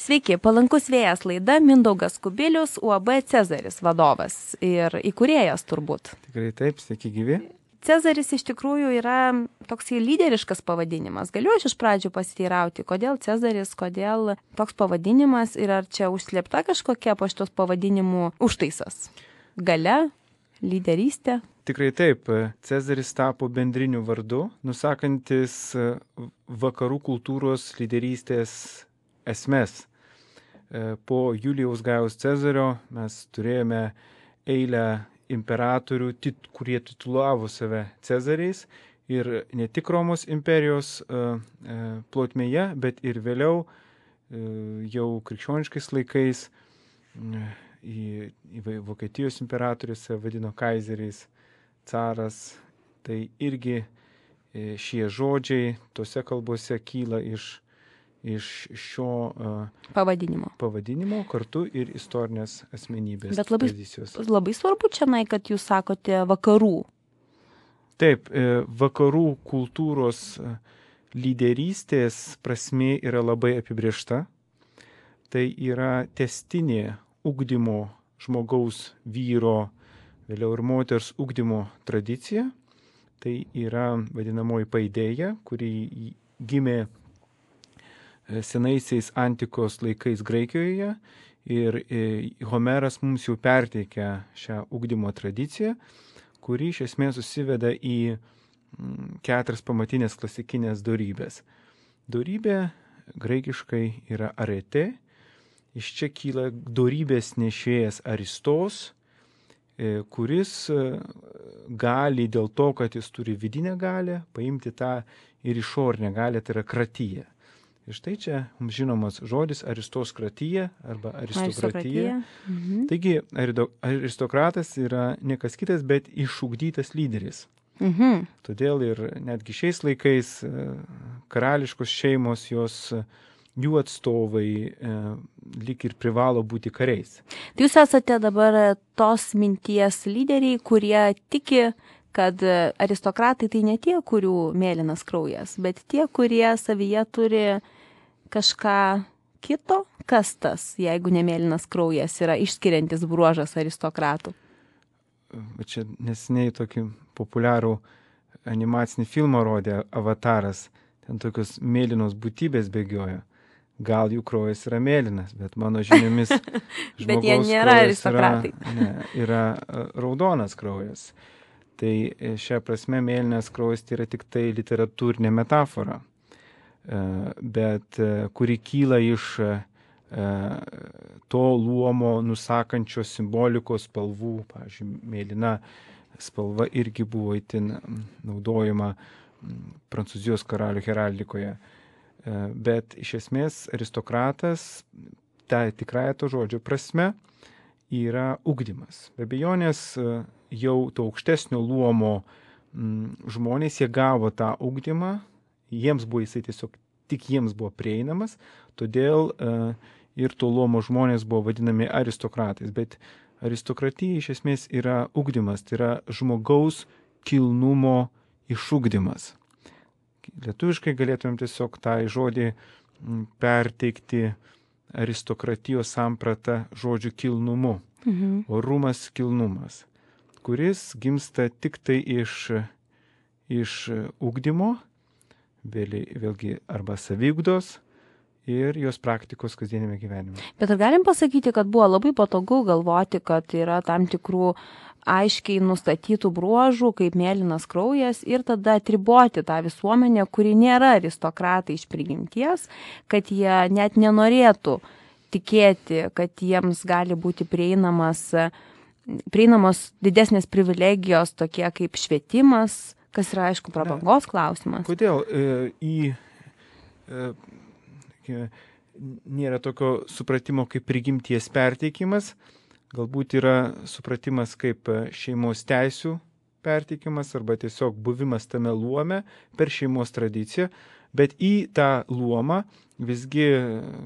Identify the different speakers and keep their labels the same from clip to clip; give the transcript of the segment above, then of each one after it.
Speaker 1: Sveiki, palankus vėjas laida, Mindaugas Kubilius, UAB Cezaris vadovas ir įkūrėjas turbūt.
Speaker 2: Tikrai taip, sveiki gyvi.
Speaker 1: Cezaris iš tikrųjų yra toks lyderiškas pavadinimas. Galiu aš iš pradžių pasiteirauti, kodėl Cezaris, kodėl toks pavadinimas ir ar čia užslėpta kažkokia po šitos pavadinimų užtaisas? Galia, lyderystė?
Speaker 2: Tikrai taip, Cezaris tapo bendriniu vardu, nusakantis vakarų kultūros lyderystės esmes. Po Julijaus Gajaus Cezario mes turėjome eilę imperatorių, kurie titulavo save Cezariais ir ne tik Romos imperijos plotmėje, bet ir vėliau jau krikščioniškais laikais į Vokietijos imperatorius vadino kaizeriais, caras. Tai irgi šie žodžiai tose kalbose kyla iš šio pavadinimo kartu ir istorinės asmenybės.
Speaker 1: Bet
Speaker 2: tradicijos.
Speaker 1: Labai svarbu čia, kad jūs sakote vakarų.
Speaker 2: Taip, vakarų kultūros lyderystės prasmė yra labai apibrėžta. Tai yra tęstinė ugdymo žmogaus vyro, vėliau ir moters ugdymo tradicija. Tai yra vadinamoji paideja, kuri gimė senaisiais antikos laikais Graikijoje ir Homeras mums jau perteikia šią ugdymo tradiciją, kuri iš esmės susiveda į 4 pamatinės klasikinės dorybės. Dorybė graikiškai yra arete, iš čia kyla dorybės nešėjas Aristos, kuris gali dėl to, kad jis turi vidinę galią, paimti tą ir išorinę galią, tai yra kratyja. Ir štai čia mums žinomas žodis aristokratija arba aristokratija. Taigi aristokratas yra ne kas kitas, bet išugdytas lyderis. Todėl ir netgi šiais laikais karališkos šeimos, jų atstovai lyg ir privalo būti kariais.
Speaker 1: Tai jūs esate dabar tos minties lyderiai, kurie tiki, kad aristokratai tai ne tie, kurių mėlynas kraujas, bet tie, kurie savyje turi kažką kito. Kas tas, jeigu ne mėlynas kraujas, yra išskiriantis bruožas aristokratų?
Speaker 2: Čia neseniai tokį populiarų animacinį filmą rodė Avataras. Ten tokios mėlynos būtybės bėgioja. Gal jų kraujas yra mėlynas, bet mano žiniomis
Speaker 1: bet jie nėra aristokratai.
Speaker 2: Yra raudonas kraujas. Tai šią prasme mėlynas kraujas tai yra tik tai literatūrinė metafora, bet kuri kyla iš to luomo nusakančios simbolikos spalvų. Pavyzdžiui, mėlyna spalva irgi buvo itin naudojama Prancūzijos karalių heraldikoje. Bet iš esmės aristokratas, ta tikrąja to žodžio prasme, yra ugdymas. Be abejonės jau to aukštesnio luomo žmonės, jie gavo tą ugdymą, jiems buvo jisai tiesiog tik jiems buvo prieinamas, todėl ir to luomo žmonės buvo vadinami aristokratais. Bet aristokratija iš esmės yra ugdymas, tai yra žmogaus kilnumo išugdymas. Lietuviškai galėtumėm tiesiog tą žodį perteikti aristokratijos sampratą žodžiu kilnumu. Orumas, kilnumas, kuris gimsta tik tai iš ugdymo, vėlgi arba saviugdos ir jos praktikos kasdienėme gyvenime.
Speaker 1: Bet ar galim pasakyti, kad buvo labai patogu galvoti, kad yra tam tikrų aiškiai nustatytų bruožų, kaip mėlynas kraujas, ir tada atriboti tą visuomenę, kuri nėra aristokratai iš prigimties, kad jie net nenorėtų tikėti, kad jiems gali būti prieinamos didesnės privilegijos, tokie kaip švietimas, kas yra, aišku, prabangos klausimas.
Speaker 2: Kodėl nėra tokio supratimo kaip prigimties perteikimas? Galbūt yra supratimas kaip šeimos teisių perteikimas arba tiesiog buvimas tame luome per šeimos tradiciją, bet į tą luomą visgi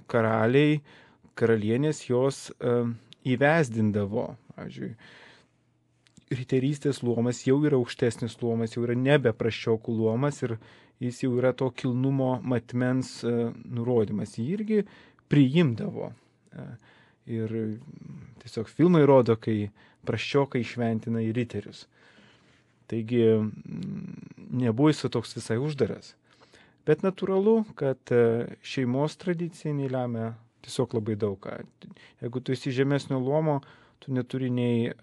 Speaker 2: karaliai, karalienės jos įvesdindavo. Pavyzdžiui, riterystės luomas jau yra aukštesnis luomas, jau yra nebe prasčiokų luomas ir jis jau yra to kilnumo matmens nurodymas. Jį irgi priimdavo. Ir tiesiog filmai rodo, kai praščiokai šventina į riterius. Taigi nebuvo jis toks visai uždaras. Bet natūralu, kad šeimos tradicija lemia tiesiog labai daug ką. Jeigu tu esi žemesnio luomo, tu neturi nei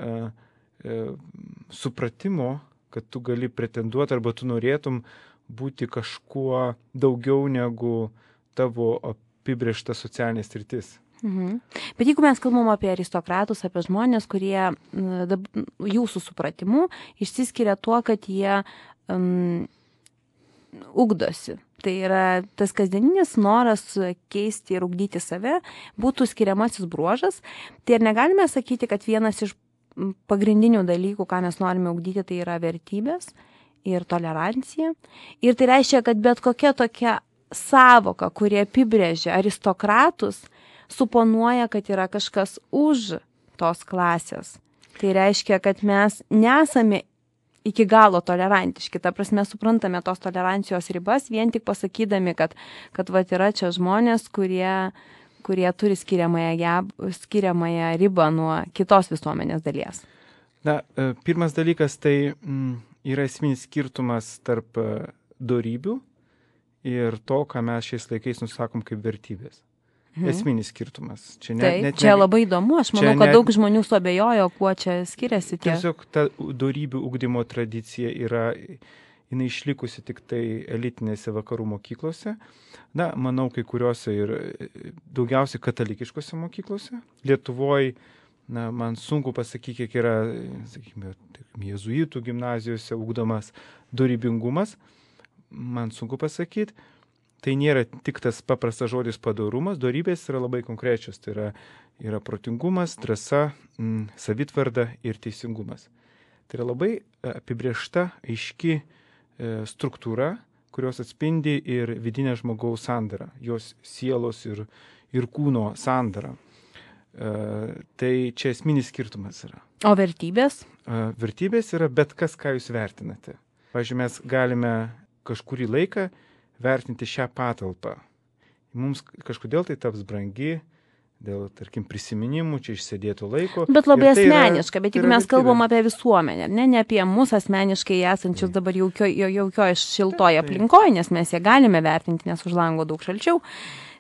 Speaker 2: supratimo, kad tu gali pretenduoti arba tu norėtum būti kažkuo daugiau negu tavo apibrėžta socialinė sritis.
Speaker 1: Bet jeigu mes kalbam apie aristokratus, apie žmonės, kurie jūsų supratimu išsiskiria tuo, kad jie ugdosi. Tai yra tas kasdieninis noras keisti ir ugdyti save, būtų skiriamasis bruožas. Tai ir negalime sakyti, kad vienas iš pagrindinių dalykų, ką mes norime ugdyti, tai yra vertybės ir tolerancija. Ir tai reiškia, kad bet kokia tokia sąvoka, kurie apibrėžia aristokratus, suponuoja, kad yra kažkas už tos klasės. Tai reiškia, kad mes nesame iki galo tolerantiški. Ta prasme, suprantame tos tolerancijos ribas, vien tik pasakydami, kad yra čia žmonės, kurie turi skiriamąją ribą nuo kitos visuomenės dalies.
Speaker 2: Na, pirmas dalykas tai yra esminis skirtumas tarp dorybių ir to, ką mes šiais laikais nusakom kaip vertybės. Esminis skirtumas. Čia
Speaker 1: čia labai įdomu, aš manau, kad daug žmonių suabejojo, kuo čia skiriasi tie.
Speaker 2: Tiesiog ta dorybių ugdymo tradicija jinai išlikusi tik tai elitinėse vakarų mokyklose. Na, manau, kai kuriuose ir daugiausiai katalikiškose mokyklose. Lietuvoje, man sunku pasakyti, kiek yra, sakykime, jėzuitų gimnazijose ugdomas dorybingumas. Man sunku pasakyti. Tai nėra tik tas paprastas žodis padorumas, dorybės yra labai konkrečios. Tai yra protingumas, drąsa, savitvarda ir teisingumas. Tai yra labai apibrėžta, aiški struktūra, kurios atspindi ir vidinę žmogaus sandarą, jos sielos ir kūno sandarą. Tai čia esminis skirtumas yra.
Speaker 1: O vertybės?
Speaker 2: Vertybės yra bet kas, ką jūs vertinate. Pavyzdžiui, mes galime kažkurį laiką vertinti šią patalpą. Mums kažkodėl tai taps brangi, dėl, tarkim, prisiminimų, čia išsėdėtų laiko.
Speaker 1: Bet labai asmeniška, bet jeigu mes kalbam apie visuomenę, ne apie mus asmeniškai esančius dabar jaukioje šiltoje aplinkoje, nes mes ją galime vertinti, nes už lango daug šalčiau,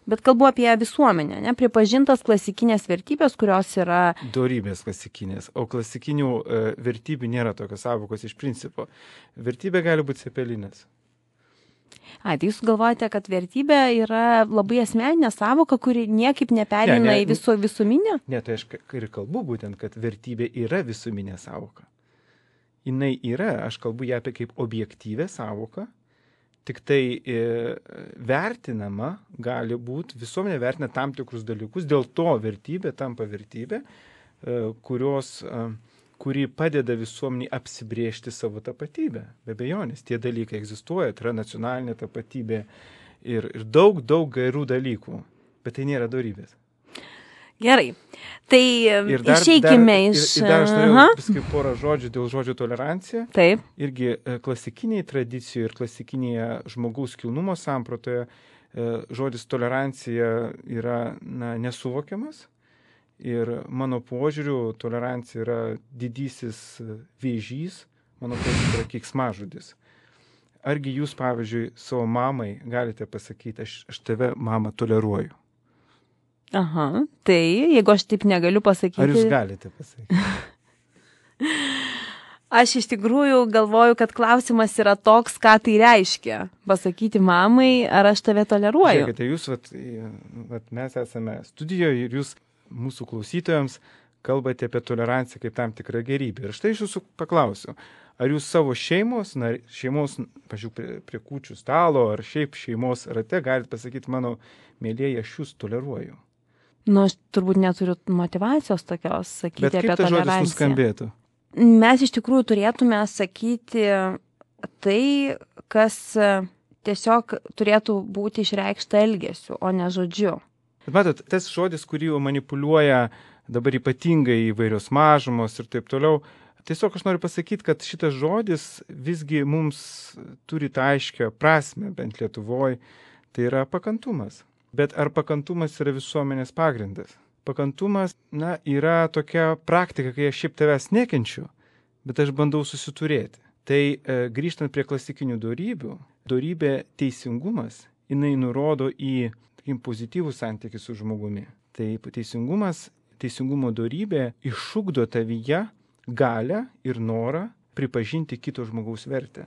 Speaker 1: bet kalbu apie visuomenę, pripažintas klasikinės vertybės, kurios yra...
Speaker 2: Dorybės klasikinės, o klasikinių vertybių nėra tokios sąvokos iš principo. Vertybė gali būti cepelinės.
Speaker 1: Tai jūs galvojate, kad vertybė yra labai asmeninė sąvoka, kuri niekaip nepereina į visuminę?
Speaker 2: Ne, tai aš ir kalbu būtent, kad vertybė yra visuminė sąvoka. Jinai yra, aš kalbu ją apie kaip objektyvę sąvoką, tik tai vertinama gali būti, visuomenė vertina tam tikrus dalykus, dėl to vertybė tampa vertybė, kuri padeda visuomeniai apsibrėžti savo tapatybę. Be abejonės, tie dalykai egzistuoja, tai yra nacionalinė tapatybė ir daug gerų dalykų, bet tai nėra dorybės.
Speaker 1: Gerai, tai išeikime iš...
Speaker 2: Ir dar aš norėjau paskui porą žodžių dėl žodžio tolerancija.
Speaker 1: Taip.
Speaker 2: Irgi klasikiniai tradicijoje ir klasikinėje žmogaus kilnumo sampratoje žodis tolerancija yra nesuvokiamas. Ir mano požiūriu, tolerancija yra didysis vėžys, mano požiūriu yra keiksmažodis. Argi jūs, pavyzdžiui, savo mamai galite pasakyti, aš tave, mama, toleruoju?
Speaker 1: Aha, tai jeigu aš taip negaliu pasakyti...
Speaker 2: Ar jūs galite pasakyti?
Speaker 1: Aš iš tikrųjų galvoju, kad klausimas yra toks, ką tai reiškia. Pasakyti mamai, ar aš tave toleruoju.
Speaker 2: Žiūrėkite, jūs, mes esame studijoje ir jūs mūsų klausytojams kalbate apie toleranciją kaip tam tikrą gerybę. Ir štai iš jūsų paklausiu, ar jūs savo šeimos, pažiūrėjau, prie kūčių stalo, ar šiaip šeimos rate galite pasakyti, mano mėlieji, aš jūs toleruoju?
Speaker 1: Aš turbūt neturiu motyvacijos tokios sakyti apie toleranciją. Bet kaip tas žodis nuskambėtų? Mes iš tikrųjų turėtume sakyti tai, kas tiesiog turėtų būti išreikšta elgesiu, o ne žodžiu.
Speaker 2: Bet matot, tas žodis, kurį manipuliuoja dabar ypatingai įvairios mažumos ir taip toliau, tiesiog aš noriu pasakyti, kad šitas žodis visgi mums turi tą aiškią prasme, bent Lietuvoje, tai yra pakantumas. Bet ar pakantumas yra visuomenės pagrindas? Pakantumas, yra tokia praktika, kai aš šiaip tavęs nekenčiu, bet aš bandau susiturėti. Tai grįžtant prie klasikinių dorybių, dorybė teisingumas, jinai nurodo į pozityvų santykį su žmogumi. Tai teisingumo dorybė išugdo tavyje galią ir norą pripažinti kito žmogaus vertę.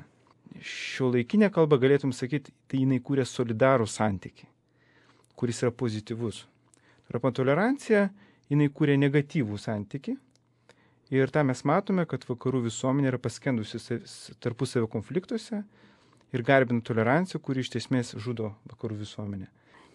Speaker 2: Šiuolaikinė kalba galėtum sakyti, tai jinai kūrė solidarų santykį, kuris yra pozityvus. Arba tolerancija, jinai kūrė negatyvų santykį. Ir tą mes matome, kad vakarų visuomenė yra paskendusi tarpusavio konfliktuose ir garbina toleranciją, kuri iš esmės žudo vakarų visuomenę.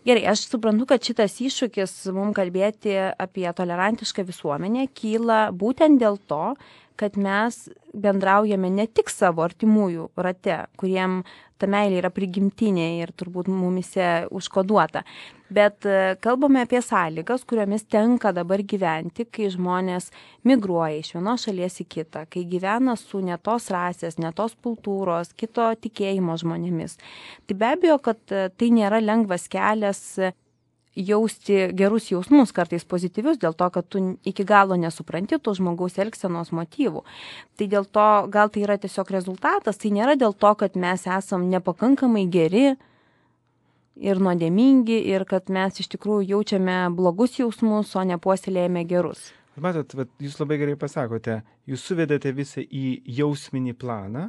Speaker 1: Gerai, aš suprantu, kad šitas iššūkis mums kalbėti apie tolerantišką visuomenę kyla būtent dėl to, kad mes bendraujame ne tik savo artimųjų rate, kuriem ta meilė yra prigimtinė ir turbūt mumise užkoduota, bet kalbame apie sąlygas, kuriomis tenka dabar gyventi, kai žmonės migruoja iš vienos šalies į kitą, kai gyvena su ne tos rasės, ne tos kultūros, kito tikėjimo žmonėmis. Tai be abejo, kad tai nėra lengvas kelias jausti gerus jausmus, kartais pozityvius, dėl to, kad tu iki galo nesupranti tų žmogaus elgsenos motyvų. Tai dėl to, gal tai yra tiesiog rezultatas, tai nėra dėl to, kad mes esam nepakankamai geri ir nuodėmingi ir kad mes iš tikrųjų jaučiame blogus jausmus, o nepuoselėjame gerus.
Speaker 2: Matot, jūs labai gerai pasakote, jūs suvedate visą į jausminį planą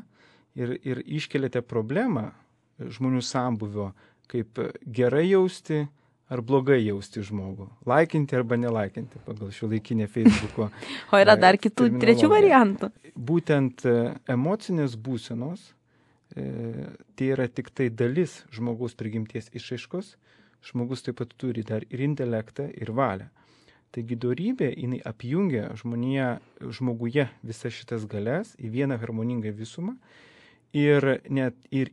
Speaker 2: ir iškeliate problemą žmonių sambuvio, kaip gerai jausti ar blogai jausti žmogų. Laikinti arba nelaikinti pagal šiuolaikinę Facebooko.
Speaker 1: O yra dar kitų trečių variantų.
Speaker 2: Būtent emocinės būsenos, tai yra tik tai dalis žmogaus prigimties išraiškos. Žmogus taip pat turi dar ir intelektą, ir valią. Taigi dorybė, jinai apjungia žmoguje visas šitas galias į vieną harmoningą visumą ir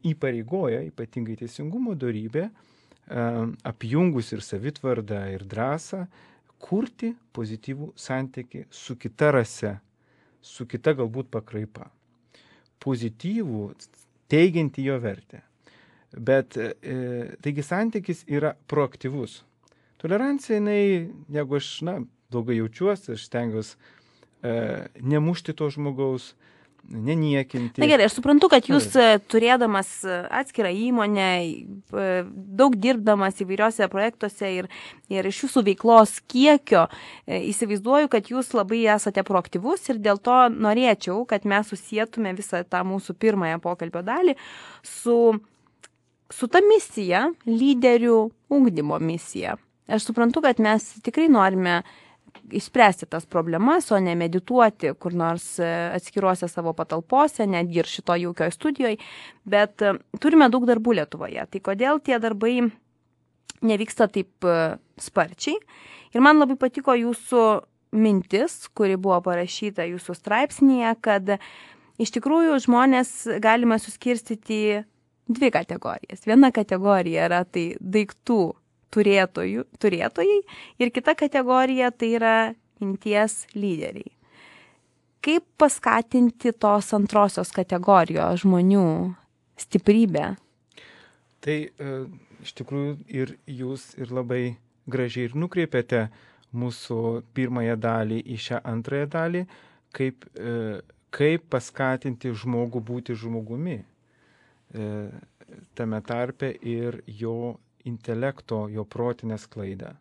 Speaker 2: įpareigoja, ypatingai teisingumo dorybė, apjungus ir savitvardą, ir drąsą, kurti pozityvų santykį su kita rase, su kita galbūt pakraipa. Pozityvų, teigianti jo vertę. Bet taigi santykis yra proaktyvus. Tolerancija, jeigu aš blogai jaučiuosi, aš stengiuosi nemušti to žmogaus, neniekinti.
Speaker 1: Na gerai, aš suprantu, kad jūs turėdamas atskirą įmonę, daug dirbdamas įvairiuose projektuose ir iš jūsų veiklos kiekio, įsivaizduoju, kad jūs labai esate proaktyvus ir dėl to norėčiau, kad mes susietume visą tą mūsų pirmąją pokalbio dalį su ta misija, lyderių ugdymo misija. Aš suprantu, kad mes tikrai norime išspręsti tas problemas, o ne medituoti kur nors atskiruose savo patalpose, netgi ir šito jaukioj studijoje, bet turime daug darbų Lietuvoje. Tai kodėl tie darbai nevyksta taip sparčiai? Ir man labai patiko jūsų mintis, kuri buvo parašyta jūsų straipsnėje, kad iš tikrųjų žmonės galime suskirstyti į dvi kategorijas. Viena kategorija yra tai daiktų turėtojai ir kita kategorija tai yra minties lyderiai. Kaip paskatinti tos antrosios kategorijos žmonių stiprybę?
Speaker 2: Tai iš tikrųjų ir jūs ir labai gražiai ir nukreipėte mūsų pirmąją dalį į šią antrąją dalį, kaip paskatinti žmogų būti žmogumi, tame tarpe ir jo intelekto, jo protinę sklaidą.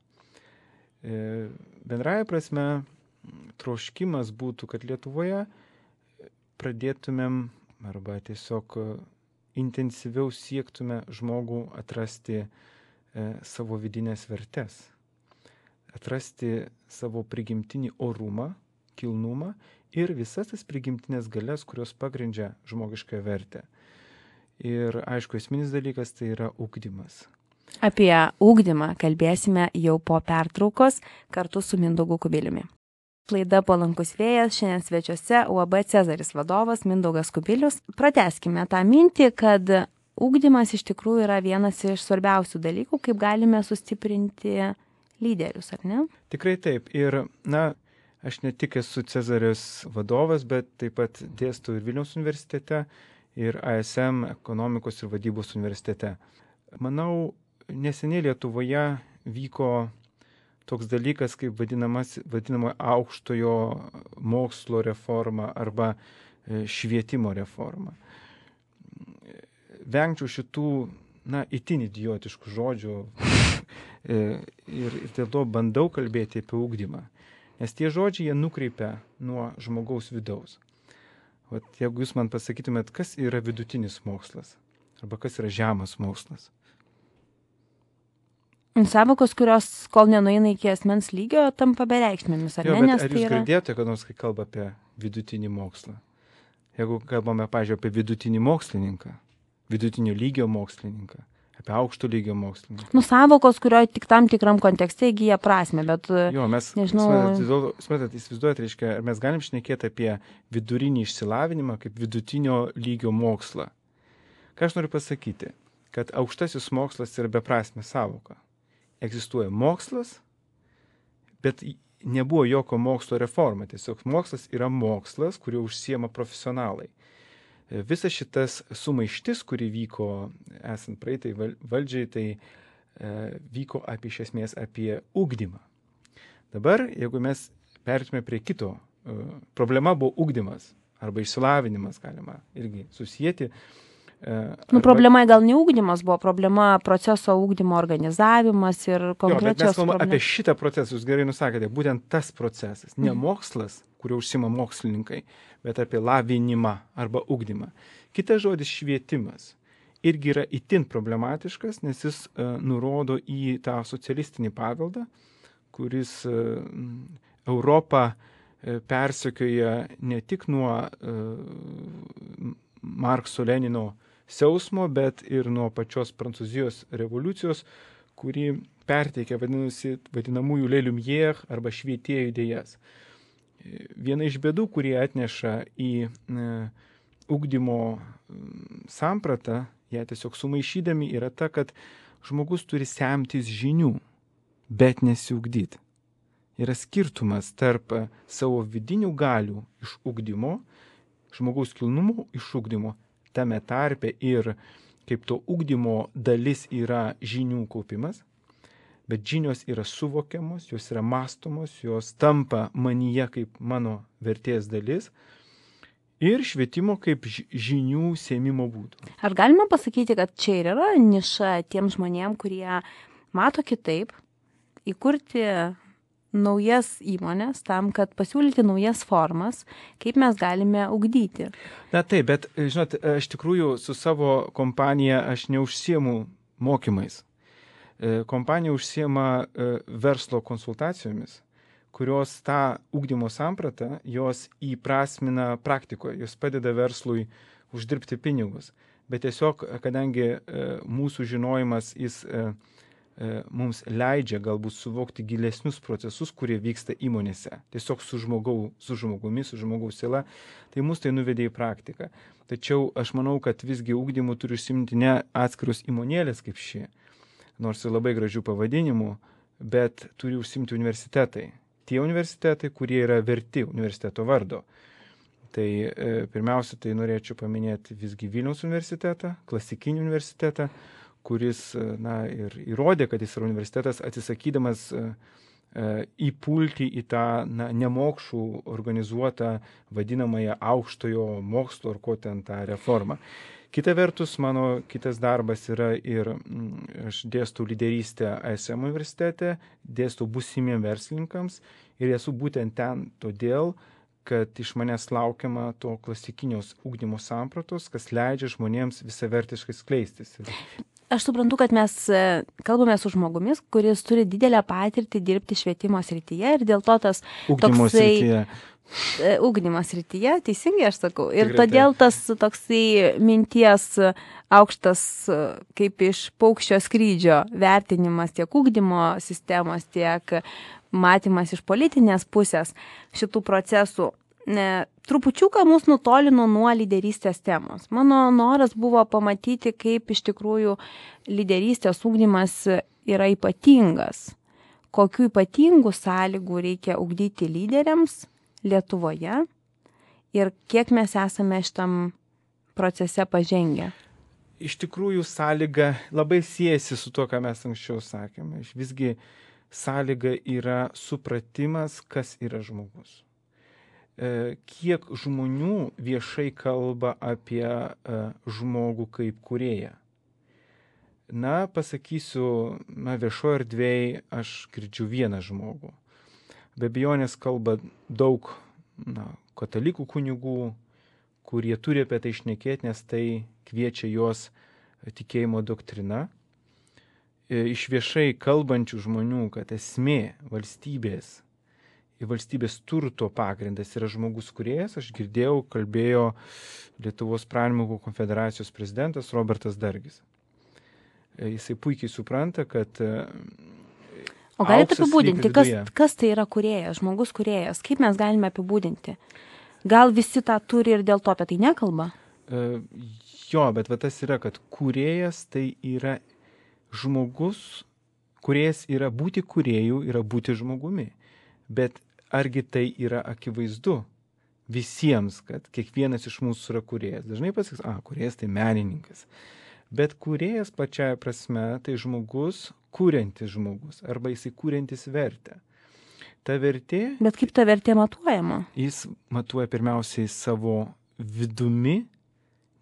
Speaker 2: Bendraja prasme, troškimas būtų, kad Lietuvoje pradėtumėm arba tiesiog intensyviau siektume žmogų atrasti savo vidinės vertes, atrasti savo prigimtinį orumą, kilnumą ir visas tas prigimtinės galias, kurios pagrindžia žmogišką vertę. Ir aišku, esminis dalykas tai yra ugdymas.
Speaker 1: Apie ugdymą kalbėsime jau po pertraukos kartu su Mindaugu Kubiliumi. Laida Palankus vėjas, šiandien svečiuose UAB Cezaris vadovas Mindaugas Kubilius. Pratęskime tą mintį, kad ugdymas iš tikrųjų yra vienas iš svarbiausių dalykų, kaip galime sustiprinti lyderius, ar ne?
Speaker 2: Tikrai taip. Ir, aš ne tik esu Cezaris vadovas, bet taip pat dėstau ir Vilniaus universitete, ir ASM ekonomikos ir vadybos universitete. Manau, neseniai Lietuvoje vyko toks dalykas kaip vadinama aukštojo mokslo reforma arba švietimo reforma. Vengčiau šitų, itin idiotiškų žodžių ir dėl to bandau kalbėti apie ugdymą. Nes tie žodžiai jie nukreipia nuo žmogaus vidaus. Jeigu jūs man pasakytumėt, kas yra vidutinis mokslas arba kas yra žemas mokslas.
Speaker 1: Savokos, kurios kol nenueina iki asmens lygio, tampa bereikšmėmis, ar ne?
Speaker 2: Nes ar jūs girdėjote, kad nors kai kalba apie vidutinį mokslą? Jeigu kalbame, pavyzdžiui, apie vidutinį mokslininką, vidutinio lygio mokslininką, apie aukšto lygio mokslininką.
Speaker 1: Savokos, kurio tik tam tikram kontekste įgyja prasme, bet
Speaker 2: mes,
Speaker 1: nežinau.
Speaker 2: Įsivaizduojate, reiškia, ar mes galim šnekėti apie vidurinį išsilavinimą kaip vidutinio lygio mokslą. Ką aš noriu pasakyti? Kad aukštasis mokslas yra beprasmė savoka. Egzistuoja mokslas, bet nebuvo jokio mokslo reforma. Tiesiog mokslas yra mokslas, kuriuo užsiema profesionalai. Visas šitas sumaištis, kuri vyko esant praeitai valdžiai, tai vyko iš esmės apie ugdymą. Dabar, jeigu mes perėtume prie kito, problema buvo ugdymas arba išsilavinimas, galima irgi susijęti.
Speaker 1: Problema gal ne ugdymas buvo, problema proceso ugdymo organizavimas ir konkrečios
Speaker 2: problemos. Mes kalbame apie šitą procesą, jūs gerai nusakėte, būtent tas procesas, ne mokslas, kuriuo užsima mokslininkai, bet apie lavinimą arba ugdymą. Kitas žodis švietimas irgi yra itin problematiškas, nes jis nurodo į tą socialistinį paveldą, kuris Europą persekioja ne tik nuo Markso Lenino siausmo, bet ir nuo pačios Prancūzijos revoliucijos, kuri perteikė vadinamųjų Les Lumières arba švietėjų idėjas. Viena iš bėdų, kurie atneša į ugdymo sampratą, ją tiesiog sumaišydami, yra ta, kad žmogus turi semtis žinių, bet nesiugdyti. Yra skirtumas tarp savo vidinių galių iš ugdymo, žmogaus kilnumo iš ugdymo, tame tarpe ir kaip to ugdymo dalis yra žinių kaupimas, bet žinios yra suvokiamos, jos yra mastomos, jos tampa manyje kaip mano vertės dalis ir švietimo kaip žinių sėmimo būdų.
Speaker 1: Ar galima pasakyti, kad čia ir yra niša tiem žmonėm, kurie mato kitaip, įkurti naujas įmonės tam, kad pasiūlyti naujas formas, kaip mes galime ugdyti?
Speaker 2: Taip, bet, žinot, aš tikrųjų su savo kompanija aš neužsiemu mokymais. Kompanija užsiema verslo konsultacijomis, kurios tą ugdymo sampratą, jos įprasmina praktikoje, jos padeda verslui uždirbti pinigus. Bet tiesiog, kadangi mūsų žinojimas jis mums leidžia galbūt suvokti gilesnius procesus, kurie vyksta įmonėse. Tiesiog su žmogaus siela, tai mus tai nuvedė į praktiką. Tačiau aš manau, kad visgi ugdymu turi užsiimti ne atskirus įmonėlės kaip ši, nors ir labai gražių pavadinimų, bet turi užsiimti universitetai. Tie universitetai, kurie yra verti universiteto vardo. Tai pirmiausia, tai norėčiau paminėti visgi Vilniaus universitetą, klasikinį universitetą, kuris ir įrodė, kad jis yra universitetas, atsisakydamas įpulti į tą nemokšų organizuotą vadinamąją aukštojo mokslo ar ko ten tą reformą. Kita vertus, mano kitas darbas yra ir aš dėstau lyderystę ASM universitete, dėstau būsimiem verslininkams ir esu būtent ten todėl, kad iš manęs laukiama to klasikinios ugdymo sampratos, kas leidžia žmonėms visavertiškai skleistis.
Speaker 1: Aš suprantu, kad mes kalbame su žmogumis, kuris turi didelę patirtį dirbti švietimo srityje ir dėl to tas ugdymo srityje, teisingai aš sakau. Ir
Speaker 2: tikrai
Speaker 1: todėl tas toksai minties aukštas kaip iš paukščio skrydžio vertinimas tiek ugdymo sistemos, tiek matymas iš politinės pusės šitų procesų trupučiuką mus nutolino nuo lyderystės temos. Mano noras buvo pamatyti, kaip iš tikrųjų lyderystės ugdymas yra ypatingas. Kokių ypatingų sąlygų reikia ugdyti lyderiams Lietuvoje ir kiek mes esame šitam procese pažengę.
Speaker 2: iš tikrųjų sąlyga labai siejasi su to, ką mes anksčiau sakėme. Visgi sąlyga yra supratimas, kas yra žmogus. Kiek žmonių viešai kalba apie žmogų kaip kūrėją. Na, pasakysiu, viešoje erdvėje aš girdžiu vieną žmogų. Be abejonės kalba daug katalikų kunigų, kurie turi apie tai šnekėti, nes tai kviečia juos tikėjimo doktrina. Iš viešai kalbančių žmonių, kad esmė valstybės ir valstybės turto pagrindas yra žmogus kūrėjas, aš girdėjau, kalbėjo Lietuvos pramonininkų konfederacijos prezidentas Robertas Dargis. Jisai puikiai supranta, kad
Speaker 1: O galite apibūdinti, kas tai yra kūrėjas, žmogus kūrėjas? Kaip mes galime apibūdinti? Gal visi tą turi ir dėl to apie tai nekalba?
Speaker 2: Jo, bet tas yra, kad kūrėjas tai yra žmogus, kūrėjas yra būti kūrėjų, yra būti žmogumi. Bet argi tai yra akivaizdu visiems, kad kiekvienas iš mūsų yra kūrėjas? Dažnai pasakys, kūrėjas tai menininkas. Bet kūrėjas pačiaja prasme tai žmogus, kūriantis žmogus, arba jisai kūriantis vertę. Ta vertė...
Speaker 1: Bet kaip ta vertė matuojama?
Speaker 2: Jis matuoja pirmiausiai savo vidumi,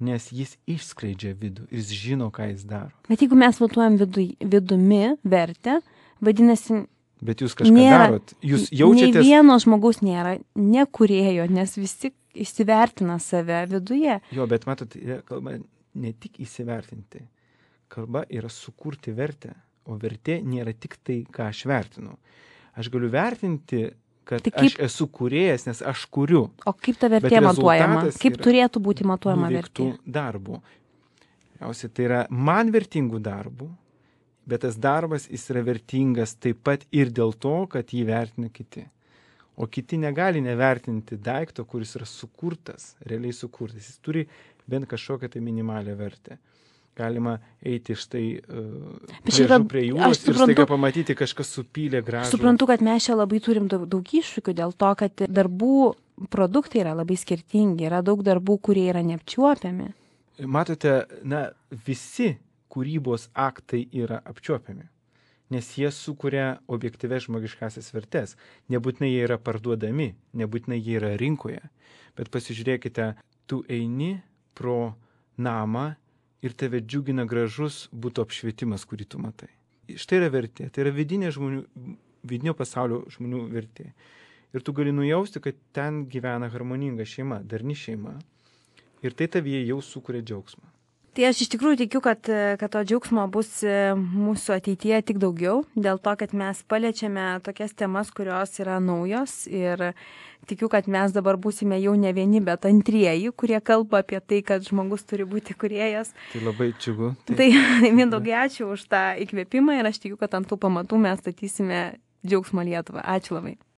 Speaker 2: nes jis išskleidžia vidų, jis žino, ką jis daro.
Speaker 1: Bet jeigu mes matuojam vidumi vertę, vadinasi...
Speaker 2: Bet jūs kažką darot, jūs jaučiatės...
Speaker 1: Nei vieno žmogaus nėra nekūrėjo, nes visi įsivertina save viduje.
Speaker 2: Jo, bet matot, kalba ne tik įsivertinti, kalba yra sukurti vertę, o vertė nėra tik tai, ką aš vertinu. Aš galiu vertinti, kad aš esu kūrėjas, nes aš kuriu.
Speaker 1: O kaip ta vertė matuojama? Kaip turėtų būti matuojama vertė?
Speaker 2: Darbų. Tai yra man vertingų darbų, bet tas darbas jis yra vertingas taip pat ir dėl to, kad jį vertina kiti. O kiti negali nevertinti daikto, kuris yra sukurtas, realiai sukurtas. Jis turi bent kažkokią tai minimalią vertę. Galima eiti štai prie jūros ir staiga pamatyti kažkas supylė gražų.
Speaker 1: Suprantu, kad mes čia labai turim daug iššūkių dėl to, kad darbų produktai yra labai skirtingi, yra daug darbų, kurie yra neapčiuopiami.
Speaker 2: Matote, visi kūrybos aktai yra apčiuopiami, nes jie sukuria objektyvias žmogiškasias vertes. Nebūtinai jie yra parduodami, nebūtinai jie yra rinkoje, bet pasižiūrėkite, tu eini pro namą, ir tave džiugina gražus būtų apšvietimas, kurį tu matai. Štai yra vertė, tai yra vidinio pasaulio žmonių vertė. Ir tu gali nujausti, kad ten gyvena harmoninga šeima, darni šeima. Ir tai tavyje jau sukuria džiaugsmą.
Speaker 1: Tai aš iš tikrųjų tikiu, kad to džiaugsmo bus mūsų ateityje tik daugiau, dėl to, kad mes paliečiame tokias temas, kurios yra naujos ir tikiu, kad mes dabar būsime jau ne vieni, bet antrieji, kurie kalba apie tai, kad žmogus turi būti kūrėjas.
Speaker 2: Tai labai džiugu.
Speaker 1: Tai Mindaugai, ačiū už tą įkvėpimą ir aš tikiu, kad ant tų pamatų mes statysime džiaugsmo Lietuvą. Ačiū labai.